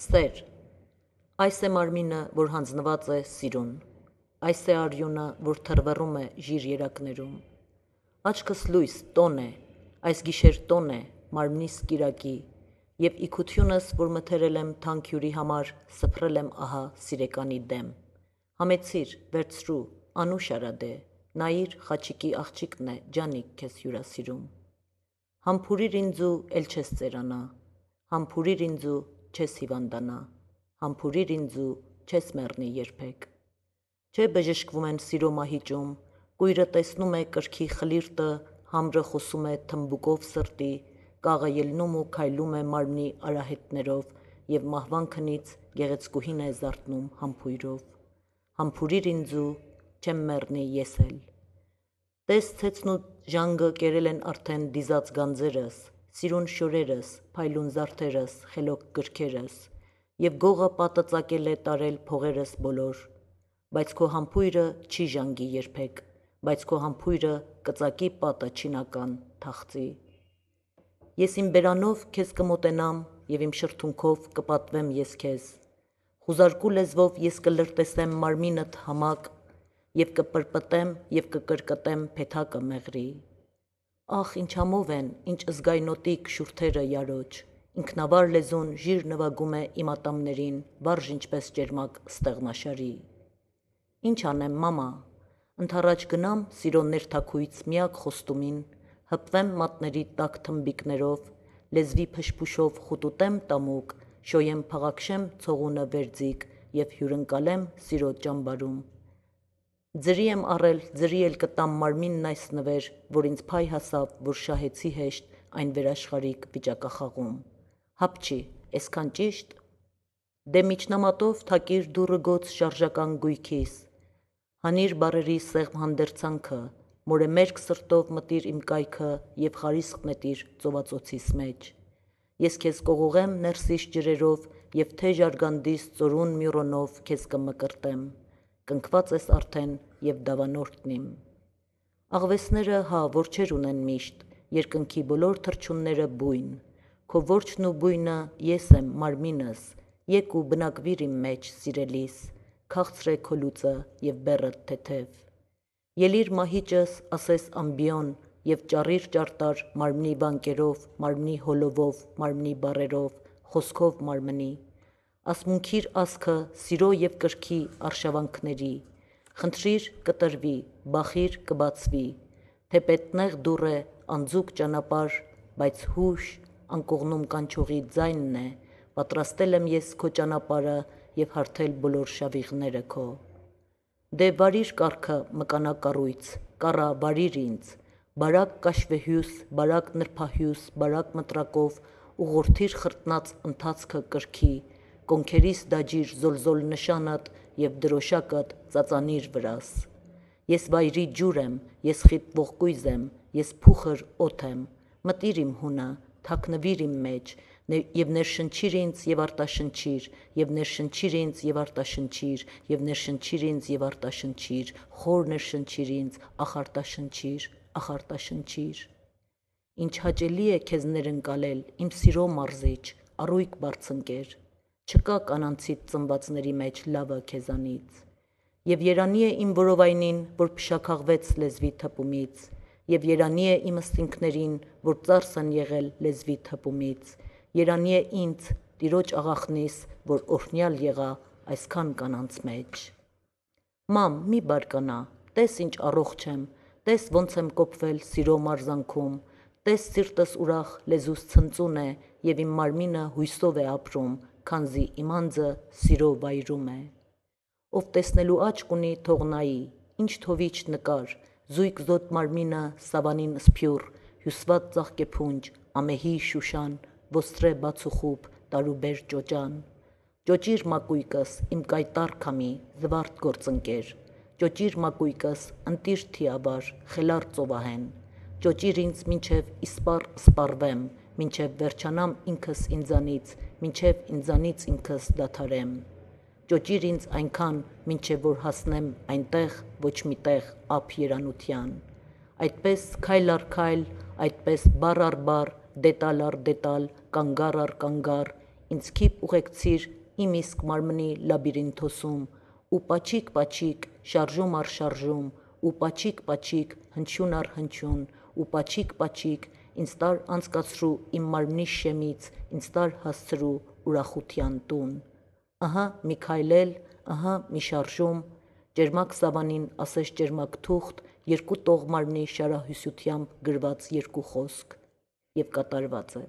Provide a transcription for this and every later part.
Սեր, այս է մարմինը, որ հանձնված է սիրուն, այս է արյունը, որ թռվռում է ժիր երակներում։ Աչքս լույս, տոն է, այս գիշեր տոն է, մարմնիս կիրակի, և իքությունս, որ մթերել եմ թանկ հյուրի համար, սփռել եմ ահա սիրեկանի դեմ։ Համեցիր, վերցրու, անուշ արադե, նայիր խաչիկի աղջիկն է, ջանիկ քեզ հյուրասիրում։ Համբուրիր ինձու, էլ չես ծերանա, համբուրիր ինձու, չես հիվանդանա, համբուրիր ինձու, չես մեռնի երբեք։ Չէ բժշկվում են սիրո մահիճում, կույրը տեսնում է կրքի խլիրտը, համրը խոսում է թմբուկով սրտի, կաղը ելնում ու քայլում է մարմնի արահետներով, և մահվան քնից գեղեցկուհին է զարթնում համբույրով։ Համբուրիր ինձու, չեմ մեռնի ես էլ։ Տես ցեցն ու ժանգը կերել են արդեն դիզած գանձերս, սիրուն շորերս, փայլուն զարդերս, խելոք գրքերս, և գողը պատը ծակել է տարել փողերս բոլոր, բայց քո համբույրը չի ժանգի երբեք, բայց քո համբույրը կծակի պատը չինական թախծի։ Ես իմ բերանով քեզ կմոտենամ և իմ շրթունքով կպատվեմ ես քեզ, խուզարկու լեզվով ես կլրտեսեմ մարմինդ համակ և կպրպտեմ և կկրկտեմ փեթակը մեղրի։ Ախ, ինչ համով են, ինչ զգայնոտիկ շուրթերը յարոջ, ինքնավար լեզուն ժիր նվագում է իմ ատամներին, վարժ ինչպես ճերմակ ստեղնաշարի։ Ինչ անեմ, մամա, ընդառաջ գնամ սիրո ներթաքույց միակ խոստումին, հպվեմ մատների տաք թմբիկներով, լեզվի փշփուշով խուտուտեմ տամուկ, շոյեմ փաղաքշեմ ցողունը վերձիգ և հյուրընկալեմ սիրո ճամբարում։ Ձրի եմ առել, ձրի էլ կտամ մարմինն այս նվեր, որ ինձ փայ հասավ, որ շահեցի հեշտ այն վերաշխարհիկ վիճակախաղում։ Հապչի, էսքան ճիշտ։ Դե միջնամատով թակիր դուռը գոց շարժական գույքիս, հանիր բառերի սեղմ հանդերձանքը, մորեմերկ սրտով մտիր իմ կայքը և խարիսկ նետիր ծովածոցիս մեջ։ Ես քեզ կողողեմ ներսիս ջրերով և թեժ արգանդիս ծորուն մյուրոնով քեզ կմկրտեմ, կնքված ես արդեն և դավանորդն իմ։ Աղվեսները հա որջեր ունեն միշտ, երկնքի բոլոր թռչունները բույն, քո որջն ու բույնը ես եմ մարմինս, եկ ու բնակվիր իմ մեջ սիրելիս, քաղցր է քո լուծը և բեռդ թեթև։ Ելիր մահիճս, ասես ամբիոն, և ճառիր ճարտար մարմնի վանկերով, մարմնի հոլովով, մարմնի բառերով, խոսքով մարմնի, ասմունքիր ասքը սիրո և կրքի արշավանքների, խնդրիր կտրվի, բախիր կբացվի, թեպետ նեղ դուռ է, անձուկ ճանապարհ, բայց հուշ, անկողնում կանչողի ձայնն է, պատրաստել եմ ես քո ճանապարհը և հարթել բոլոր շավիղները քո։ Դե վարիր կառքը մկանա կառույց, կառա վարիր ինձ, բարակ կաշվեհյուս, բարակ նրբահյուս, բարակ մտրակով ուղղորդիր խրտնած ընթացքը կրքի, կոնքերիս դաջիր զոլզոլ նշանդ և դրոշակդ ծածանիր վրաս։ Ես վայրի ջուր եմ, ես խիտվող կույզ եմ, ես փուխր օդ եմ, մտիր իմ հունը, թաքնվիր իմ մեջ, և ներշնչիր ինձ և արտաշնչիր, և ներշնչիր ինձ և արտաշնչիր, և ներշնչիր ինձ և արտաշնչիր, խոր ներշնչիր ինձ, ախ արտաշնչիր, ախ արտաշնչիր։ Ինչ հաճելի է քեզ ներընկալել, իմ սիրո մարզիչ, առույգ բարձընկեր, չկա կանանցիդ ծնվածների մեջ լավը քեզանից։ Եվ երանի է իմ որովայնին, որ փշաքաղվեց լեզվի թպումից, և երանի է իմ ըստինքներին, որ ծարս են եղել լեզվի թպումից, երանի է ինձ, տիրոջ աղախնիս, որ օրհնյալ եղա այսքան կանանց մեջ։ Մամ, մի բարկանա, տես ինչ առողջ եմ, տես ոնց եմ կոփվել սիրո մարզանքում, տես սիրտս ուրախ լեզուս ցնծուն է, և իմ մարմինը հույսով է ապրում, քանզի իմ անձը սիրո վայրում է։ Ով տեսնելու աչք ունի, թող նայի, ինչ թովիչ նկար, զույգ զոտ մարմինը սավանին սփյուռ, հյուսված ծաղկեփունջ, ամեհի շուշան, ոստրե բացուխուփ, տարուբեր ճոճան։ Ճոճիր մակույկս, իմ կայտառ քամի, զվարթ գործընկեր, ճոճիր մակույկս, ընտիր թիավար, խելառ ծովահեն, ճոճիր ինձ մինչև իսպառ սպառվեմ, մինչև վերջանամ ինքս ինձանից, մինչև ինձանից ինքս դադարեմ։ Ճոճիր ինձ այնքան, մինչև որ հասնեմ այնտեղ, ոչ մի տեղ ափ երանության։ Այդպես քայլ առ քայլ, այդպես բառ առ բառ, դետալ առ դետալ, կանգառ առ կանգառ, ինձ քիպ ուղեկցիր իմ իսկ մարմնի լաբիրինթոսում, ու պաչիկ-պաչիկ, շարժում առ շարժում, ու պաչիկ-պաչիկ, հնչյուն առ հնչյուն, ու պաչիկ-պաչիկ, ինձ տար անցկացրու իմ մարմնի շեմից, ինձ տար հասցրու ուրախության տուն։ Ահա մի քայլել, ահա մի շարժում, ճերմակ սավանին ասես ճերմակ թուղթ, երկու տողմարմնի շարահյուսությամբ գրված երկու խոսք, և կատարված է։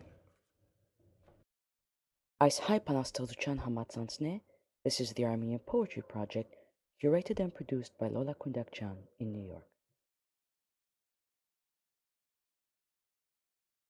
Այս հայ բանաստեղծության համացանցն է This is the Armenian Poetry Project, curated and produced by Lola Kundakjian in New York.